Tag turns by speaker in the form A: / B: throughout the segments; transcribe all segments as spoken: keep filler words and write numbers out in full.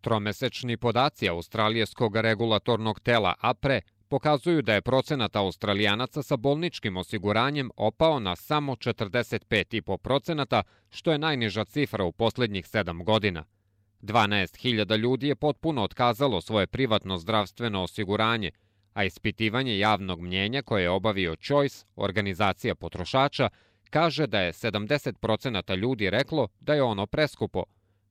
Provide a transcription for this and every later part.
A: Tromesečni podaci australijskog regulatornog tela A P R E pokazuju da je procenat Australijanaca sa bolničkim osiguranjem opao na samo četrdeset pet zarez pet procenata, što je najniža cifra u posljednjih sedam godina. dvanaest hiljada ljudi je potpuno otkazalo svoje privatno zdravstveno osiguranje, a ispitivanje javnog mnjenja koje je obavio Choice, organizacija potrošača, kaže da je sedamdeset procenata ljudi reklo da je ono preskupo.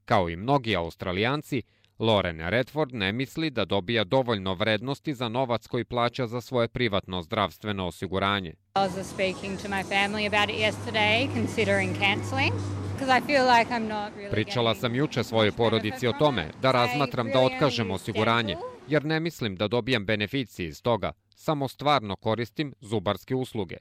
A: Kao i mnogi Australijanci, Lauren Redford ne misli da dobija dovoljno vrednosti za novac koji plaća za svoje privatno zdravstveno osiguranje. Pričala sam juče svojoj porodici o tome da razmatram da otkažem osiguranje, jer ne mislim da dobijam beneficije iz toga, samo stvarno koristim zubarske usluge.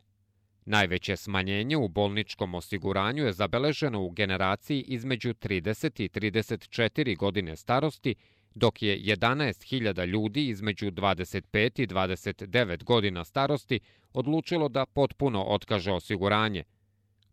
A: Najveće smanjenje u bolničkom osiguranju je zabeleženo u generaciji između trideset i trideset četiri godine starosti, dok je jedanaest hiljada ljudi između dvadeset pet i dvadeset devet godina starosti odlučilo da potpuno otkaže osiguranje.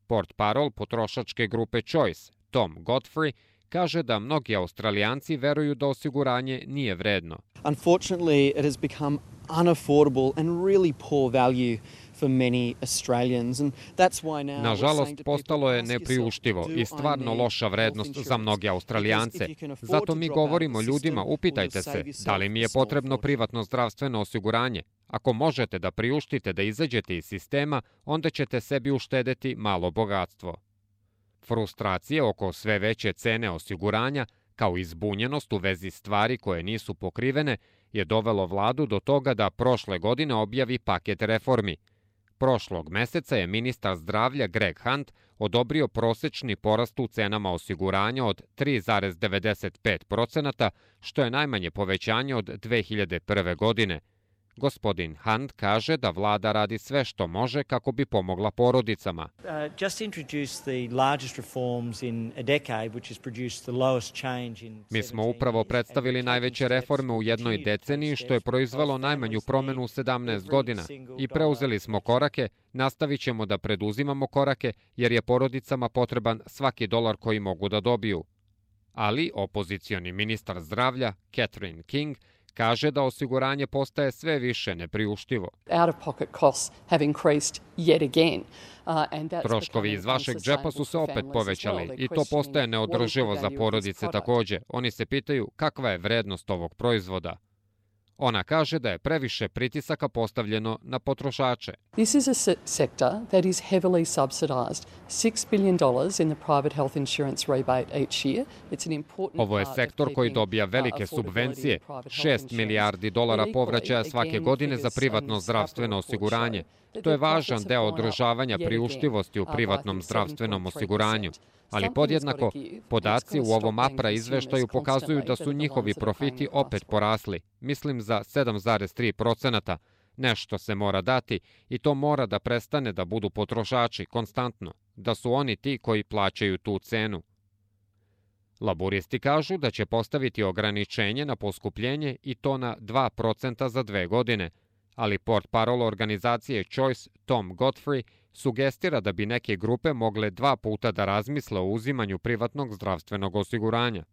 A: Portparol potrošačke grupe Choice, Tom Godfrey, kaže da mnogi Australijanci veruju da osiguranje nije vredno.
B: Unfortunately, it has become unaffordable and really poor value for many Australians, and that's why now.
A: Nažalost, postalo je nepriuštivo i stvarno loša vrednost za mnoge Australijance. Zato mi govorimo ljudima, upitajte se, da li mi je potrebno privatno zdravstveno osiguranje? Ako možete da priuštite da izađete iz sistema, onda ćete sebi uštedeti malo bogatstvo. Frustracije oko sve veće cene osiguranja, kao i zbunjenost u vezi stvari koje nisu pokrivene, je dovelo vladu do toga da prošle godine objavi paket reformi. Prošlog meseca je ministar zdravlja Greg Hunt odobrio prosečni porast u cenama osiguranja od tri zarez devedeset pet procenata, što je najmanje povećanje od dve hiljade prve. godine. Gospodin Hunt kaže da vlada radi sve što može kako bi pomogla porodicama. Mi smo upravo predstavili najveće reforme u jednoj deceniji, što je proizvelo najmanju promenu u sedamnaest godina. I preuzeli smo korake, nastavit ćemo da preduzimamo korake, jer je porodicama potreban svaki dolar koji mogu da dobiju. Ali opozicioni ministar zdravlja, Catherine King, kaže da osiguranje postaje sve više nepriuštivo. Troškovi iz vašeg džepa su se opet povećali i to postaje neodrživo za porodice također. Oni se pitaju kakva je vrednost ovog proizvoda. Ona kaže da je previše pritisaka postavljeno na potrošače.
C: This is a sector that is heavily subsidized. six billion dollars in the private health insurance rebate each year. It's an important.
A: Ovo je sektor koji dobija velike subvencije, šest milijardi dolara povraćaja svake godine za privatno zdravstveno osiguranje. To je važan deo održavanja priuštivosti u privatnom zdravstvenom osiguranju. Ali podjednako, podaci u ovom A P R E izveštaju pokazuju da su njihovi profiti opet porasli, mislim za sedam zarez tri procenata. Nešto se mora dati i to mora da prestane da budu potrošači konstantno, da su oni ti koji plaćaju tu cenu. Laburisti kažu da će postaviti ograničenje na poskupljenje i to na dva procenta za dve godine, ali portparol organizacije Choice, Tom Godfrey, sugestira da bi neke grupe mogle dva puta da razmisle o uzimanju privatnog zdravstvenog osiguranja.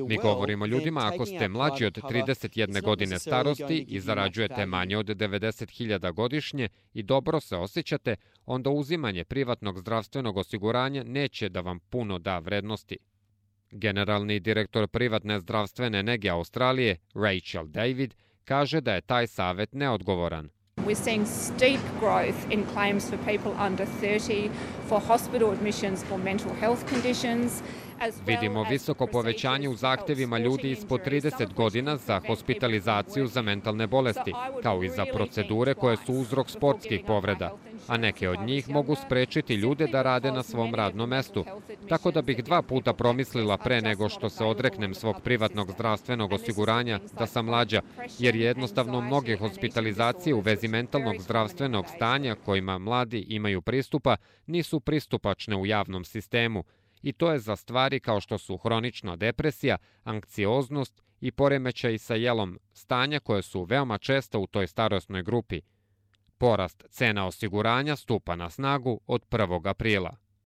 A: Mi govorimo ljudima, ako ste mlađi od trideset jedne godine starosti i zarađujete manje od devedeset hiljada godišnje i dobro se osjećate, onda uzimanje privatnog zdravstvenog osiguranja neće da vam puno da vrednosti. Generalni direktor privatne zdravstvene nege Australije, Rachel David, kaže da je taj savjet neodgovoran.
D: We're seeing steep growth in claims for people under thirty for hospital admissions for mental health conditions.
A: Vidimo visoko povećanje u zahtevima ljudi ispod trideset godina za hospitalizaciju za mentalne bolesti, kao i za procedure koje su uzrok sportskih povreda, a neke od njih mogu sprečiti ljude da rade na svom radnom mestu. Tako da bih dva puta promislila pre nego što se odreknem svog privatnog zdravstvenog osiguranja da sam mlađa, jer jednostavno mnoge hospitalizacije u vezi mentalnog zdravstvenog stanja kojima mladi imaju pristupa nisu pristupačne u javnom sistemu. I to je za stvari kao što su hronična depresija, anksioznost i poremećaj sa jelom, stanja koje su veoma česta u toj starosnoj grupi. Porast cena osiguranja stupa na snagu od prvog aprila.